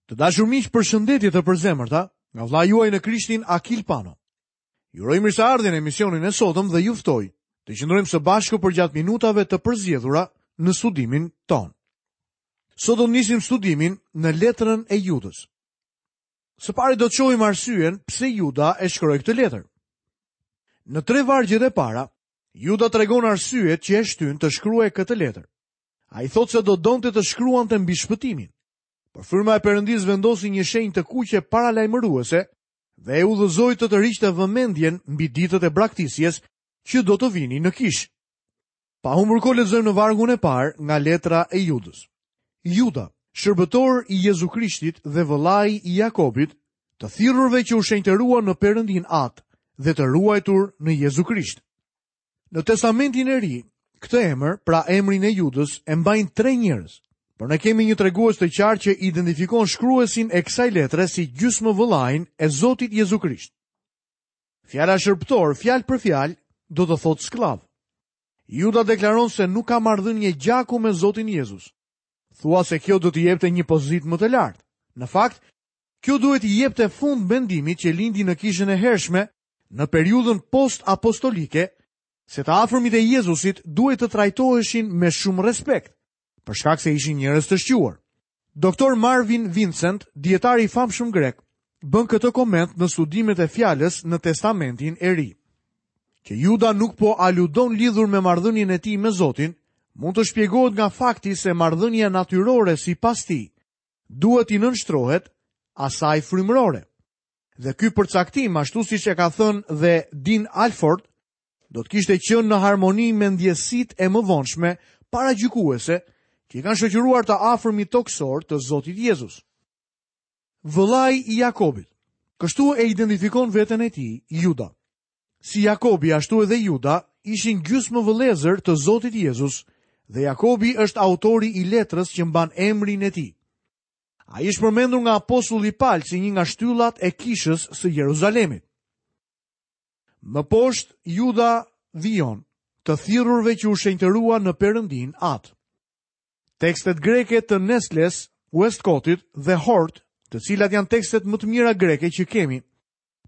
Të dashur miq, përshëndetje të përzemërta nga vëllai juaj në Krishtin Akil Pano. Ju uroj mirëseardhjen në emisionin e sotëm dhe ju ftoj të qëndrojmë së bashku përgjatë minutave të përzgjedhura në studimin tonë. Sot do të nisim studimin në letrën e Judës. Së pari do të shohim arsyen pse Juda e shkroi këtë letër. Në tre vargjet e para, Juda tregon arsyet që e shtynë të shkruajë këtë letër. Ai thotë se do donte të shkruante mbi shpëtimin. Por fryma e Perëndisë vendosi një shenjë të kuqe paralajmëruese dhe e udhëzoi të tërhiqte vëmendjen mbi ditët e braktisjes që do të vinin në kishë. Pa humbur kohë lexojmë në vargun e parë nga letra e Judës. Juda, shërbëtor i Jezu Krishtit dhe vëllai i Jakobit, të thirrurve që u shenjtëruan në Perëndinë Atë dhe të ruajtur në Jezu Krisht. Në Testamentin e Ri, këtë emër, pra emrin e Judës, e mbajnë tre njerëz. Por ne kemi një tregues të qartë që identifikon shkruesin e kësaj letre si gjysmë vëllain e Zotit Jezu Krisht. Fjala shërbëtor, fjalë për fjalë, do të thotë skllav. Juda deklaron se nuk ka marrëdhënie gjaku me Zotin Jezus. Thua se kjo do t'i jepte një pozitë më të lartë. Në fakt, kjo duhet t'i jepte fund mendimit që lindi në kishën e hershme në periudhën post-apostolike se të afërmit e Jezusit duhej të trajtoheshin me shumë respekt, për shkak se ishin njerëz të shquar. Doktor Marvin Vincent, dijetari i famshëm grek, bën këtë koment në studimet e fjalës në Testamentin e Ri. Që Juda nuk po aludon lidhur me marrëdhënien e tij me Zotin, mund të shpjegohet nga fakti se marrëdhënia natyrore sipas tij duhet t'i nënshtrohet asaj frymërore. Dhe ky përcaktim, ashtu siç e ka thënë dhe Dean Alford, do të kishte qenë në harmoni me ndjesitë e mëvonshme paragjykuese që i kanë shoqëruar të afërmit tokësorë të Zotit Jezus. Vëllai i Jakobit. Kështu e identifikon veten e tij Juda. Si Jakobi ashtu edhe Juda ishin gjysmë vëllezër të Zotit Jezus dhe Jakobi është autori i letrës që mban emrin e tij. Ai është përmendur nga apostulli Pal si një nga shtyllat e kishës së Jeruzalemit. Më poshtë Juda vijon, të thirrurve që u shenjtëruan në Perëndinë Atë. Tekstet greke të Nestles, Westcottit dhe Hort, të cilat janë tekstet më të mira greke që kemi,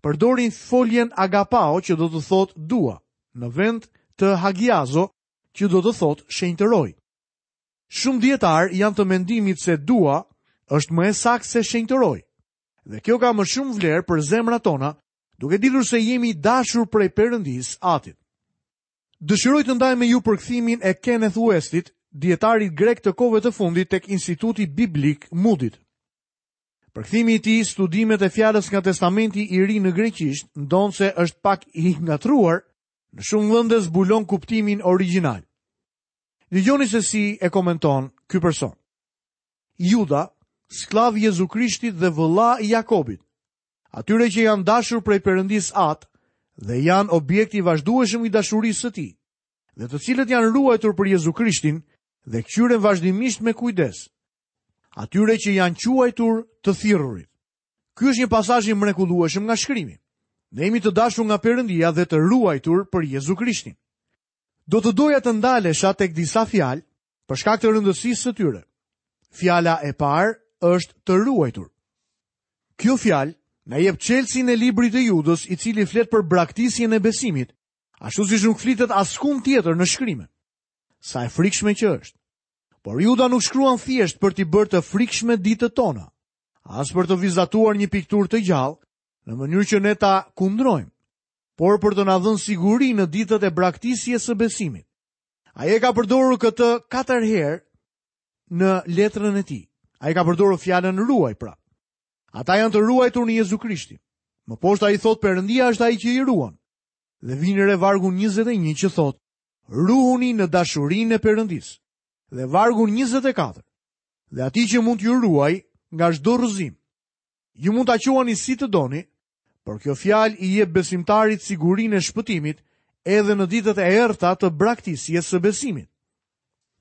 përdorin foljen agapao që do të thotë dua, në vend të hagiazo që do të thotë shenjtëroj. Shumë dijetarë janë të mendimit se dua është më e saktë se shenjtëroj. Dhe kjo ka më shumë vlerë për zemrat tona, duke ditur se jemi dashur prej Perëndisë Atit. Dëshiroj të ndaj me ju përkthimin e Kenneth Westit, dijetarit grek të kohëve të fundit tek Instituti Biblik Moody-t. Përkthimi i tij, studimet e fjalës nga Testamenti i Ri në greqisht, ndonëse është pak i ngatërruar, në shumë vende zbulon kuptimin origjinal. Dëgjoni se si e komenton ky person. Juda, skllav i Jezu Krishtit dhe vëlla i Jakobit, atyre që janë dashur prej Perëndisë Atë dhe janë objekt i vazhdueshëm i dashurisë së tij, dhe të cilët janë ruajtur për Jezu Krishtin dhe këqyren vazhdimisht me kujdes, atyre që janë quajtur të thirrurit. Ky është një pasazh i mrekullueshëm nga shkrimi. Ne jemi të dashur nga Perëndia dhe të ruajtur për Jezu Krishtin. Do të doja të ndalesha tek disa fjalë për shkak të rëndësisë së tyre. Fjala e parë është të ruajtur. Kjo fjalë na jep çelësin e librit të Judës, i cili flet për braktisjen e besimit, ashtu siç nuk flitet askund tjetër në shkrime. Sa e frikshme që është. Por Juda nuk shkruan thjesht për t'i bërë të frikshme ditët tona, as për të vizatuar një pikturë të gjallë, në mënyrë që ne ta kundrojmë. por për të na dhënë siguri në ditët e braktisjes së besimit. Ai e ka përdorur këtë katër herë në letrën e tij. Ai ka përdorur fjalën ruaj pra. Ata janë të ruajtur në Jezu Krishtin. Më poshtë ai thotë Perëndia është ai që i ruan. Dhe vini re vargun 21 që thotë ruhuni në dashurinë e Perëndisë. Dhe vargun 24. Dhe atij që mund t'ju ruajë nga çdo rrëzim. Ju mund ta quani si të doni, Por kjo fjalë i jep besimtarit sigurinë e shpëtimit edhe në ditët e errëta të braktisjes së besimit.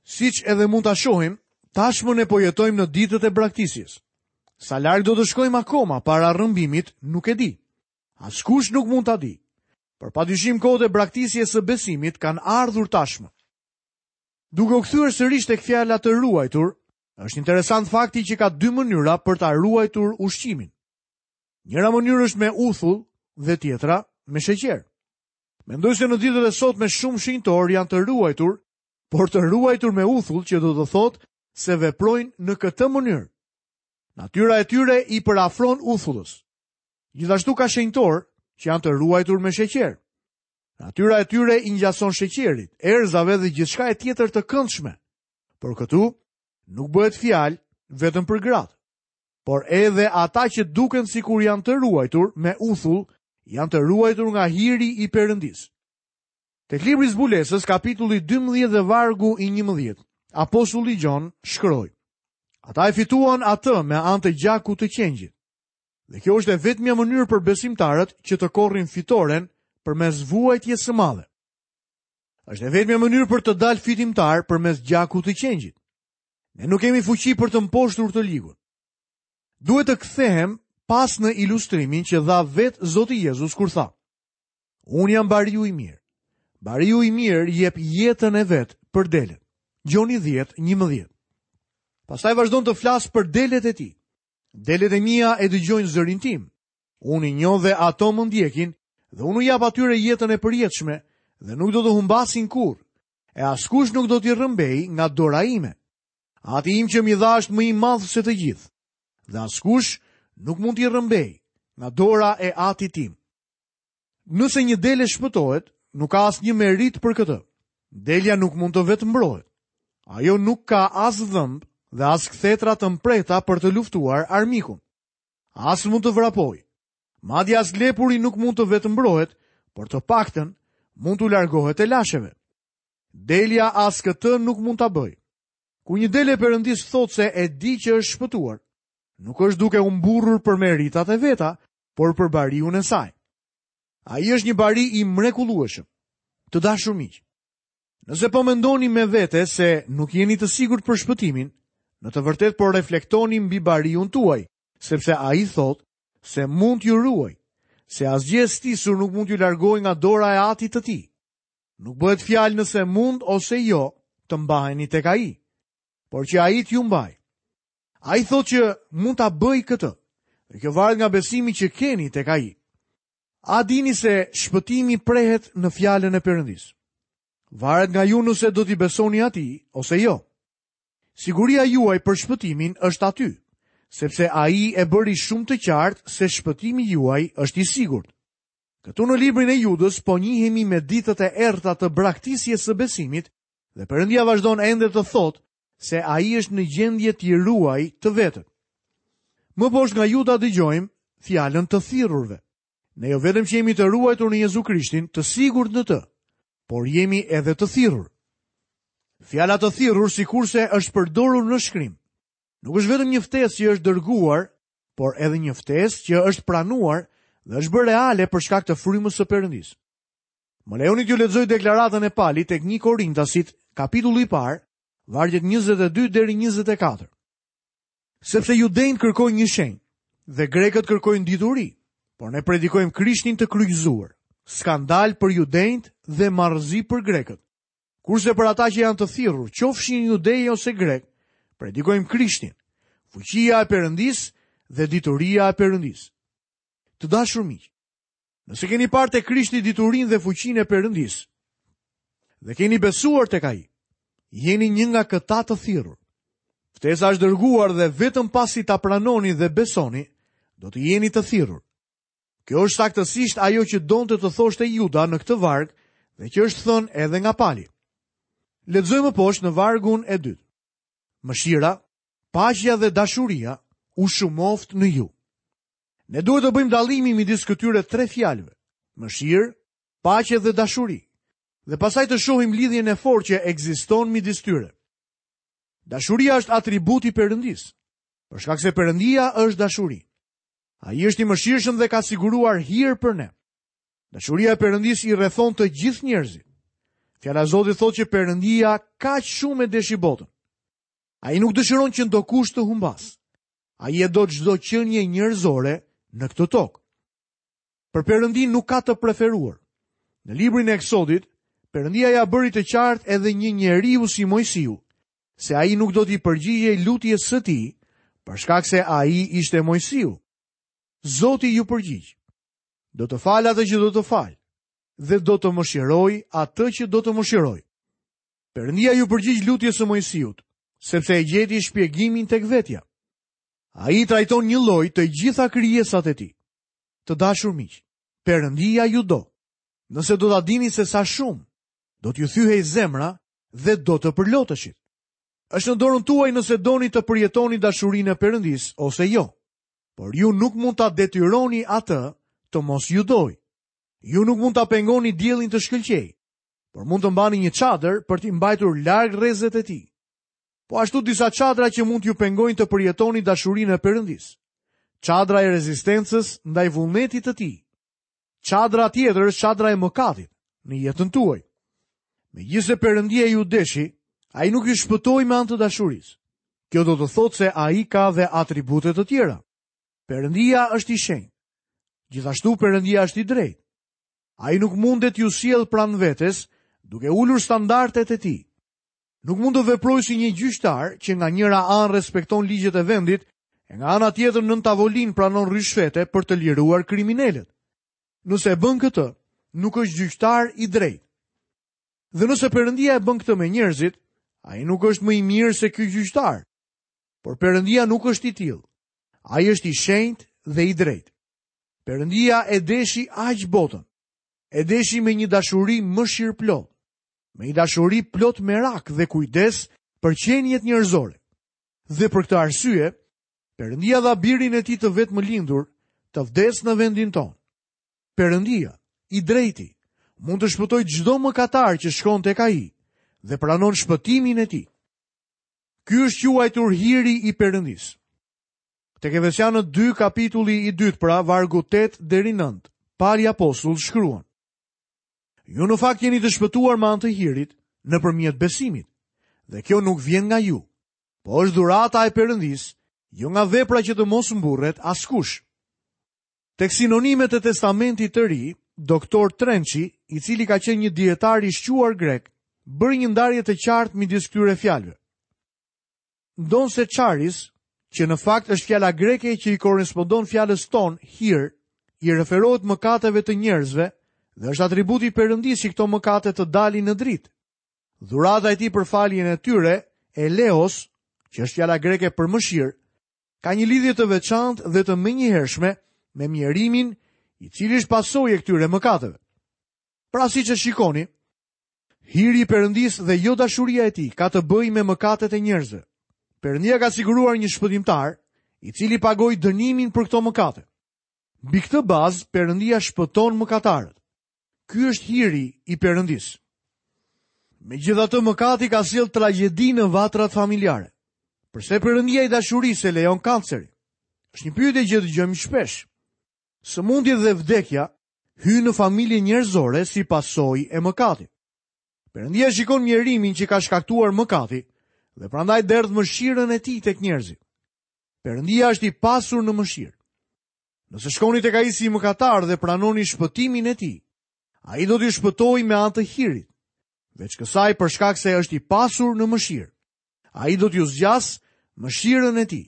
Siç edhe mund ta shohim, tashmë ne po jetojmë në ditët e braktisjes. Sa larg do të shkojmë akoma para rrëmbimit, nuk e di. Askush nuk mund ta di. Por padyshim kohët e braktisjes së besimit kanë ardhur tashmë. Duke u kthyer sërish tek fjala të ruajtur, Është interesant fakti që ka dy mënyra për ta ruajtur ushqimin. Njëra mënyrë është me uthull dhe tjetra me sheqer. Mendoj se në ditët e sotme shumë shenjtorë janë të ruajtur, por të ruajtur me uthull që do të thotë se veprojnë në këtë mënyrë. Natyra e tyre i përafron uthullës. Gjithashtu ka shenjtorë që janë të ruajtur me sheqer. Natyra e tyre i ngjason sheqerit, erëzave dhe gjithçkaje tjetër të këndshme. Por këtu nuk bëhet fjalë vetëm për gratë, por edhe ata që duken sikur janë të ruajtur me uthull, janë të ruajtur nga hiri i Perëndisë. Tek libri i Zbulesës, kapitulli 12 dhe vargu i 11, apostulli Gjon shkroi: Ata e fituan atë me anë të gjakut të qengjit. Dhe kjo është e vetmja mënyrë për besimtarët që të korrin fitoren përmes vuajtjes së madhe. Është e vetmja mënyrë për të dalë fitimtar përmes gjakut të qengjit. Ne nuk kemi fuqi për të mposhtur të ligun. Duhet të kthehem pas në ilustrimin që dha vetë Zoti Jezus kur tha: Unë jam bariu i mirë. Bariu i mirë jep jetën e vet për delet. Gjoni 10:11. Pastaj vazhdon të flasë për delet e tij. Delet e mia e dëgjojnë zërin tim. Unë i njoh dhe ato më ndjekin dhe unë u jap atyre jetën e përjetshme dhe nuk do të humbasin kurrë. E askush nuk do t'i rrëmbejë nga dora ime. Ati im që m'i dha është më i madh se të gjithë. Dhe askush nuk mund t'i rrëmbejë nga dora e atit tim. Nëse një dele shpëtohet, nuk ka asnjë meritë për këtë. Delja nuk mund të vetëmbrohet. Ajo nuk ka as dhëmbë dhe as kthetra të mprehta për të luftuar armikun. As mund të vrapojë. Madje as lepuri nuk mund të vetëmbrohet, por të paktën mund t'u largohet telasheve. Delja as këtë nuk mund ta bëjë. Kur një dele e Perëndisë thotë se e di që është shpëtuar, nuk është duke u mburrur për meritat e veta, por për bariun e saj. Ai është një bari i mrekullueshëm. Të dashur miq, nëse po mendoni me vete se nuk jeni të sigurt për shpëtimin, në të vërtetë po reflektoni mbi bariun tuaj, sepse ai thotë se mund t'ju ruajë, se asgjë e stisur nuk mund t'ju largojë nga dora e atit të tij. Nuk bëhet fjalë nëse mund ose jo të mbaheni tek ai, por që ai t'ju mbajë. Ai thotë që mund ta bëjë këtë. Dhe kjo varet nga besimi që keni tek ai. A dini se shpëtimi prehet në fjalën e Perëndisë? Varet nga ju nëse do t'i besoni atij ose jo. Siguria juaj për shpëtimin është aty, sepse ai e bëri shumë të qartë se shpëtimi juaj është i sigurt. Këtu në librin e Judës po njihemi me ditët e errëta të braktisjes së besimit dhe Perëndia vazhdon ende të thotë se ai është në gjendje t'i ruajë të vetët. Më poshtë nga Juda dëgjojmë fjalën të thirrurve. Ne jo vetëm që jemi të ruajtur në Jezu Krishtin, të sigurt në të, por jemi edhe të thirrur. Fjala të thirrur sikurse është përdorur në shkrim. Nuk është vetëm një ftesë që është dërguar, por edhe një ftesë që është pranuar dhe është bërë reale për shkak të frymës së Perëndisë. Më lejoni t'ju lexoj deklaratën e Palit tek 1 Korintasit, kapitulli i parë, vargjet 22 deri 24. Sepse judenjtë kërkojnë një shenjë dhe grekët kërkojnë dituri, por ne predikojmë Krishtin të kryqëzuar. Skandal për judenjtë dhe marrëzi për grekët. Kurse për ata që janë të thirrur, qofshin judej ose grekë, predikojmë Krishtin, fuqia e Perëndisë dhe dituria e Perëndisë. Të dashur miq, Nëse keni parë te Krishti diturinë dhe fuqinë e Perëndisë dhe keni besuar tek ai, jeni një nga këta të thirrur. Ftesa është dërguar dhe vetëm pasi ta pranoni dhe besoni, do të jeni të thirrur. Kjo është saktësisht ajo që donte të thoshte Juda në këtë varg dhe që është thënë edhe nga Pali. Lexojmë më poshtë në vargun e dytë. Mëshira, paqja dhe dashuria u shumoftë në ju. Ne duhet të bëjmë dallimin midis këtyre tre fjalëve: mëshirë, paqe dhe dashuri. Dhe pastaj të shohim lidhjen e fortë që ekziston midis tyre. Dashuria është atribut i Perëndisë, për shkak se Perëndia është dashuri. Ai është i mëshirshëm dhe ka siguruar hir për ne. Dashuria e Perëndisë i rrethon të gjithë njerëzit. Fjala e Zotit thotë që Perëndia kaq shumë e deshi botën. Ai nuk dëshiron që ndokush të humbasë. Ai e do çdo qenie njerëzore në këtë tokë. Për Perëndinë nuk ka të preferuar. Në librin e Eksodit, Perëndia ia bëri të qartë edhe një njeriu si Moisiu, se ai nuk do t'i përgjigjej lutjes së tij, për shkak se ai ishte Moisiu. Zoti iu përgjigj. Do të fal atë që do të fal dhe do të mëshiroj atë që do të mëshiroj. Perëndia iu përgjigj lutjes së Moisiut, sepse e gjeti shpjegimin tek vetja. Ai i trajton njëlloj të gjitha krijesat e tij. Të dashur miq, Perëndia ju do. Nëse do ta dini se sa shumë, do t'ju thyhej zemra dhe do të përloteshit. Është në dorën tuaj nëse doni të përjetoni dashurinë e Perëndisë ose jo. Por ju nuk mund ta detyroni atë të mos ju dojë. Ju nuk mund ta pengoni diellin të shkëlqejë, por mund të mbani një çadër për t'i mbajtur larg rrezet e tij. Po ashtu disa çadra që mund t'ju pengojnë të përjetoni dashurinë e Perëndisë. Çadra e rezistencës ndaj vullnetit të tij. Çadra tjetër është çadra e mëkatit në jetën tuaj. Megjithëse Perëndia ju deshi, ai nuk ju shpëtoi me anë të dashurisë. Kjo do të thotë se ai ka dhe atribute të tjera. Perëndia është i shenjtë. Gjithashtu Perëndia është i drejtë. Ai nuk mundet t'ju sjellë pranë vetes duke ulur standardet e tij. Nuk mund të veprojë si një gjyqtar që nga njëra anë respekton ligjet e vendit e nga ana tjetër nën tavolinë pranon ryshfete për të liruar kriminelët. Nëse e bën këtë, nuk është gjyqtar i drejtë. Dhe nëse Perëndia e bën këtë me njerëzit, ai nuk është më i mirë se ky gjyqtar. Por Perëndia nuk është i tillë. Ai është i shenjtë dhe i drejtë. Perëndia e deshi aq botën. E deshi me një dashuri mëshirëplotë. Me një dashuri plot merak dhe kujdes për qeniet njerëzore. Dhe për këtë arsye, Perëndia dha birin e tij të vetëmlindur të vdesë në vendin tonë. Perëndia, i drejti, mund të shpëtojë çdo mëkatar që shkon tek ai dhe pranon shpëtimin e tij. Ky është quajtur hiri i Perëndisë. Tek Efesianët 2 kapitulli i dytë pra vargu 8 deri 9, Pali apostull shkruan: Ju në fakt jeni të shpëtuar me anë të hirit nëpërmjet besimit. Dhe kjo nuk vjen nga ju, po është dhurata e Perëndisë, jo nga vepra që të mos mburret askush. Tek sinonimet e Testamentit të Ri, Doktor Trençi, i cili ka qenë një dijetar i shquar grek, bëri një ndarje të qartë midis këtyre fjalëve. Ndonëse charis, që në fakt është fjala greke që i korrespondon fjalës tonë hir, i referohet mëkateve të njerëzve dhe është atribut i Perëndisë që këto mëkate të dalin në dritë. Dhurata e tij për faljen e tyre, eleos, që është fjala greke për mëshirë, ka një lidhje të veçantë dhe të menjëhershme me mjerimin, i cili është pasojë e këtyre mëkateve. Pra siç e shikoni, Hiri i Perëndisë dhe jo dashuria e tij ka të bëjë me mëkatet e njerëzve. Perëndia ka siguruar një shpëtimtar, i cili pagoi dënimin për këto mëkate. Mbi këtë bazë Perëndia shpëton mëkatarët. Ky është hiri i Perëndisë. Megjithatë mëkati ka sjellë tragjedi në vatrat familjare. Përse Perëndia i dashurisë e lejon kancerin? Është një pyetje që dëgjojmë shpesh. Sëmundjet dhe vdekja hyjnë në familjen njerëzore si pasojë e mëkatit. Perëndia shikon mjerimin që ka shkaktuar mëkati dhe prandaj derdh mëshirën e tij tek njerëzit. Perëndia është i pasur në mëshirë. Nëse shkoni tek ai si mëkatar dhe pranoni shpëtimin e tij, ai do t'ju shpëtojë me anë të hirit. Veç kësaj për shkak se është i pasur në mëshirë. Ai do t'ju zgjasë mëshirën e tij.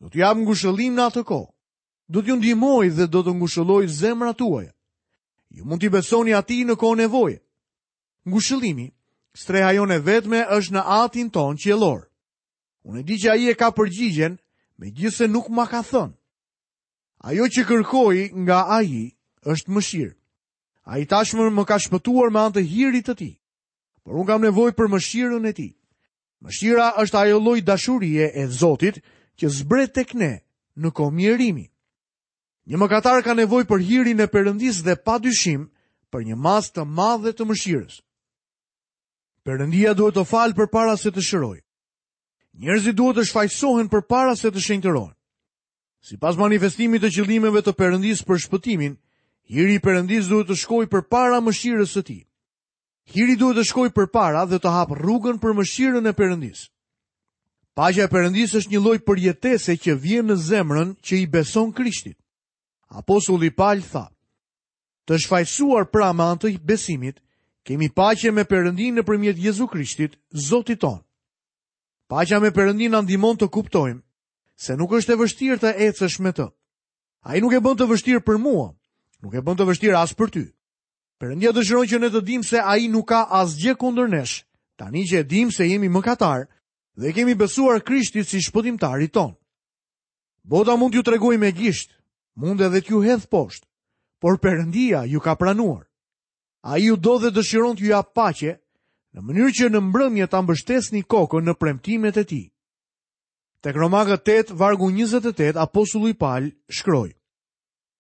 Do t'ju japë ngushëllim në atë kohë. Do t'ju ndihmojë dhe do të ngushëllojë zemrat tuaja. Ju mund t'i besoni atij në kohë nevoje. Ngushëllimi, streha jonë e vetme është në Atin tonë qiellor. Unë e di që ai e ka përgjigjen, megjithëse nuk ma ka thënë. Ajo që kërkoj nga ai është mëshirë. Ai tashmë më ka shpëtuar me anë të hirit të tij. Por unë kam nevojë për mëshirën e tij. Mëshira është ajo lloj dashurie e Zotit që zbret tek ne në kohë mjerimi. Një mëkatar ka nevojë për hirin e Perëndisë dhe pa dyshim për një masë të madhe të mëshirës. Perëndia duhet të falë përpara se të shërojë. Njerëzit duhet të shfajësohen përpara se të shenjtërohen. Sipas manifestimit të qëllimeve të Perëndisë për shpëtimin, hiri i Perëndisë duhet të shkojë përpara mëshirës së tij. Hiri duhet të shkojë përpara dhe të hapë rrugën për mëshirën e Perëndisë. Paqja e Perëndisë është një lloj përjetese që vjen në zemrën që i beson Krishtit. Apostulli Pal tha: Të shfajësuar pra me anë të besimit, kemi paqe me Perëndinë nëpërmjet Jezu Krishtit, Zotit tonë. Paqja me Perëndinë na ndihmon të kuptojmë se nuk është e vështirë të ecësh me të. Ai nuk e bën të vështirë për mua, nuk e bën të vështirë as për ty. Perëndia dëshiron që ne të dimë se ai nuk ka asgjë kundër nesh, tani që e dimë se jemi mëkatarë dhe i kemi besuar Krishtit si shpëtimtarit tonë. Bota mund t'ju tregojë me gisht, mund edhe t'ju hedhë poshtë, por Perëndia ju ka pranuar. Ai ju do dhe dëshiron t'ju japë paqe, në mënyrë që në mbrëmje ta mbështesni kokën në premtimet e tij. Tek Romakët 8, vargu 28, apostulli Pal shkroi: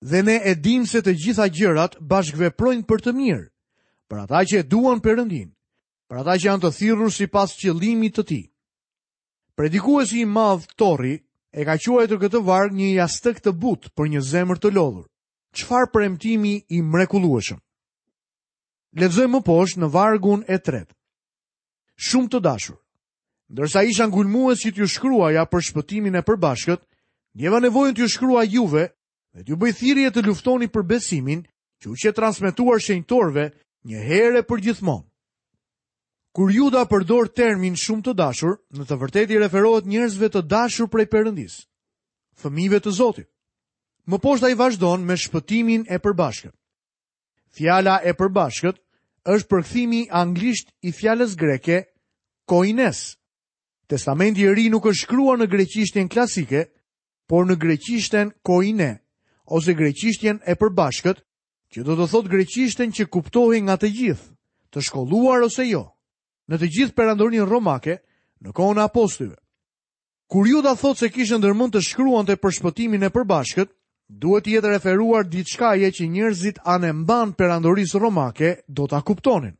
Dhe ne e dimë se të gjitha gjërat bashkëveprojnë për të mirë, për ata që e duan Perëndinë, për ata që janë të thirrur sipas qëllimit të tij. Predikuesi i madh Torri e ka quajtur këtë varg një jastëk të butë për një zemër të lodhur. Çfarë premtimi i mrekullueshëm. Lexojmë më poshtë në vargun e tretë. Shumë të dashur. Ndërsa isha ngulmues që t'ju shkruaja për shpëtimin e përbashkët, ndjeva nevojën t'ju shkruaj juve dhe t'ju bëj thirrje të luftoni për besimin që u qe transmetuar shenjtorëve një herë e përgjithmonë. Kur Juda përdor termin shumë të dashur, në të vërtetë i referohet njerëzve të dashur prej Perëndisë, fëmijëve të Zotit. Më poshtë ai vazhdon me shpëtimin e përbashkët. Fjala e përbashkët është përkthimi anglisht i fjalës greke koines. Testamenti i Ri nuk është shkruar në greqishten klasike, por në greqishten koine ose greqishtjen e përbashkët, që do të thotë greqishten që kuptohej nga të gjithë, të shkolluar ose jo, në të gjithë perandorinë romake në kohën e apostujve. Kur Juda thotë se kishte ndërmend të shkruante për shpëtimin e përbashkët, duhet t'i jetë referuar diçkaje që njerëzit anembanë perandorisë romake do ta kuptonin.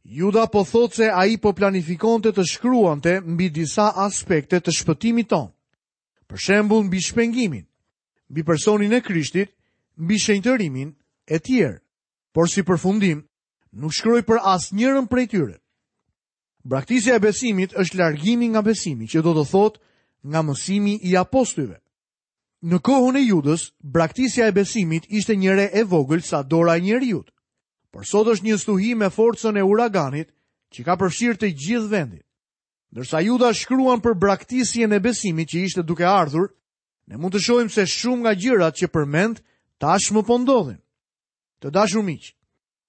Juda po thotë se ai po planifikonte të shkruante mbi disa aspekte të shpëtimit tonë. Për shembull mbi shpengimin, mbi personin e Krishtit, mbi shenjtërimin e tjerë. Por si përfundim, nuk shkroi për asnjërën prej tyre. Braktisja e besimit është largimi nga besimi, që do të thotë nga mësimi i apostujve. Në kohën e Judës, braktisja e besimit ishte një re e vogël sa dora e njeriut. Por sot është një stuhi me forcën e uraganit që ka përfshirë të gjithë vendin. Ndërsa Juda shkruan për braktisjen e besimit që ishte duke ardhur, ne mund të shohim se shumë nga gjërat që përmend tashmë po ndodhin. Të dashur miq,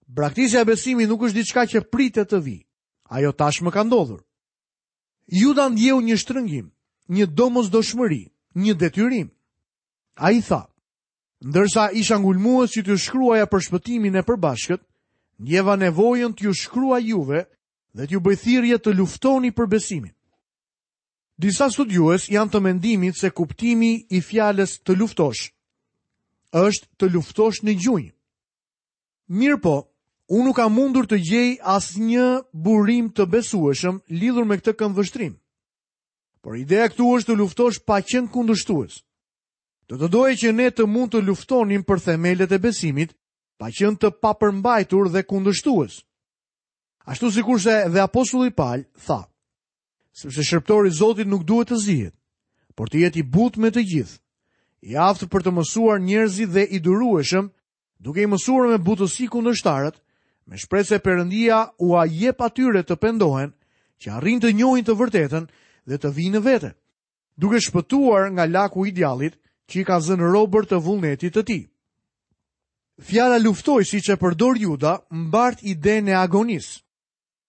Braktisja e besimit nuk është diçka që pritet të vijë. Ajo tashmë ka ndodhur. Juda ndjeu një shtrëngim, një domosdoshmëri, një detyrim. Ai tha, ndërsa isha ngulmues që t'ju shkruaja për shpëtimin e përbashkët, ndjeva nevojën t'ju shkruaj juve dhe t'ju bëj thirrje të luftoni për besimin. Disa studiues janë të mendimit se kuptimi i fjalës të luftosh është të luftosh në gjunjë. Mirëpo, unë nuk kam mundur të gjej asnjë burim të besueshëm lidhur me këtë këndvështrim. Por ideja këtu është të luftosh pa qenë kundërshtues. Do të doja që ne të mund të luftonim për themelet e besimit, pa qenë të papërmbajtur dhe kundërshtues. Ashtu sikurse dhe apostulli Pal tha, sepse shërbëtori i Zotit nuk duhet të zihet, por të jetë i butë me të gjithë, i aftë për të mësuar njerëzit dhe i durueshëm duke i mësuar me butësi kundërshtarët, me shpresë se Perëndia ua jep atyre të pendohen, që arrijnë të njohin të vërtetën dhe të vijnë në vete, duke shpëtuar nga laku i djallit që i ka zënë robër të vullnetit të tij. Fjala luftoj siç e përdor Juda mbart idenë e agonisë.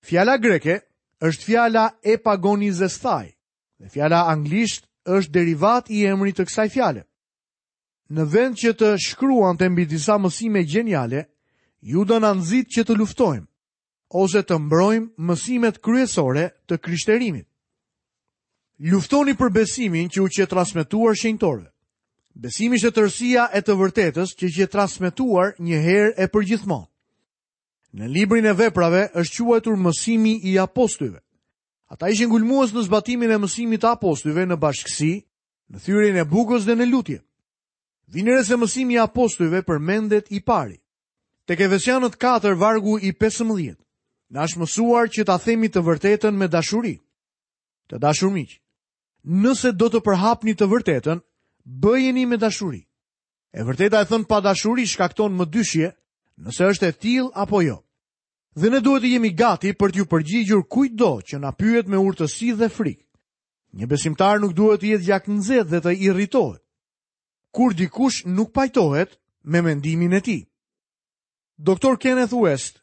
Fjala greke është fjala epagonizesthai dhe fjala anglisht është derivat i emrit të kësaj fjale. Në vend që të shkruante mbi disa mësime gjeniale, Juda na nxit që të luftojmë ose të mbrojmë mësimet kryesore të krishterimit. Luftoni për besimin që u qe transmetuar shenjtorëve. Besimi është tërësia e të vërtetës që qe transmetuar një herë e përgjithmonë. Në librin e veprave është quajtur mësimi i apostujve. Ata ishin ngulmues në zbatimin e mësimit të apostujve në bashkësi, në thyerjen e bukës dhe në lutje. Vini re se mësimi i apostujve përmendet i pari. Tek Efesianët 4 vargu i 15. Na është mësuar që ta themi të vërtetën me dashuri. Të dashur miq, nëse do të përhapni të vërtetën, bëjeni me dashuri. E vërteta e thënë pa dashuri shkakton mëdyshje, nëse është e tillë apo jo. Dhe ne duhet të jemi gati për t'iu përgjigjur kujtdo që na pyet me urtësi dhe frikë. Një besimtar nuk duhet të jetë gjaknxehtë dhe të irritohet. Kur dikush nuk pajtohet me mendimin e tij. Doktor Kenneth West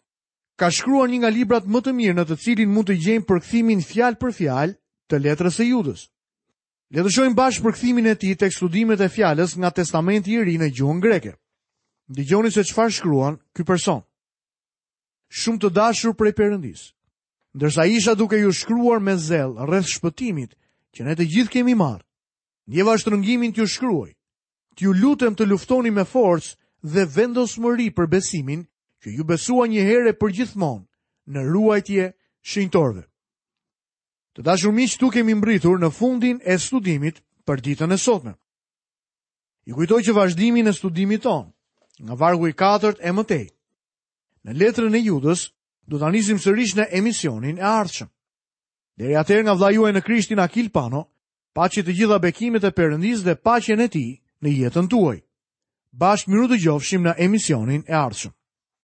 ka shkruar një nga librat më të mirë në të cilin mund të gjejmë përkthimin fjalë për fjalë të letrës së Judës. Le të shohim bashkë përkthimin e tij tek studimet e fjalës nga Testamenti i Ri në gjuhën greke. Dëgjoni se çfarë shkruan ky person. Shumë të dashur prej Perëndisë. Ndërsa isha duke ju shkruar me zell rreth shpëtimit që ne të gjithë kemi marrë, ndjeva shtrëngimin t'ju shkruaj, t'ju lutem të luftoni me forcë dhe vendosmëri për besimin që iu besua një herë e përgjithmonë në ruajtje shenjtorëve. Të dashur miq, këtu kemi mbërritur në fundin e studimit për ditën e sotme. Ju kujtoj që vazhdimin e studimit tonë, nga vargu i katërt e më tej, në letrën e Judës, do ta nisim sërish në emisionin e ardhshëm. Deri atëherë nga vëllai juaj në Krishtin Akil Pano, paçi të gjitha bekimet e Perëndisë dhe paqen e tij në jetën tuaj. Bashkë mirudëgjofshim në emisionin e ardhshëm.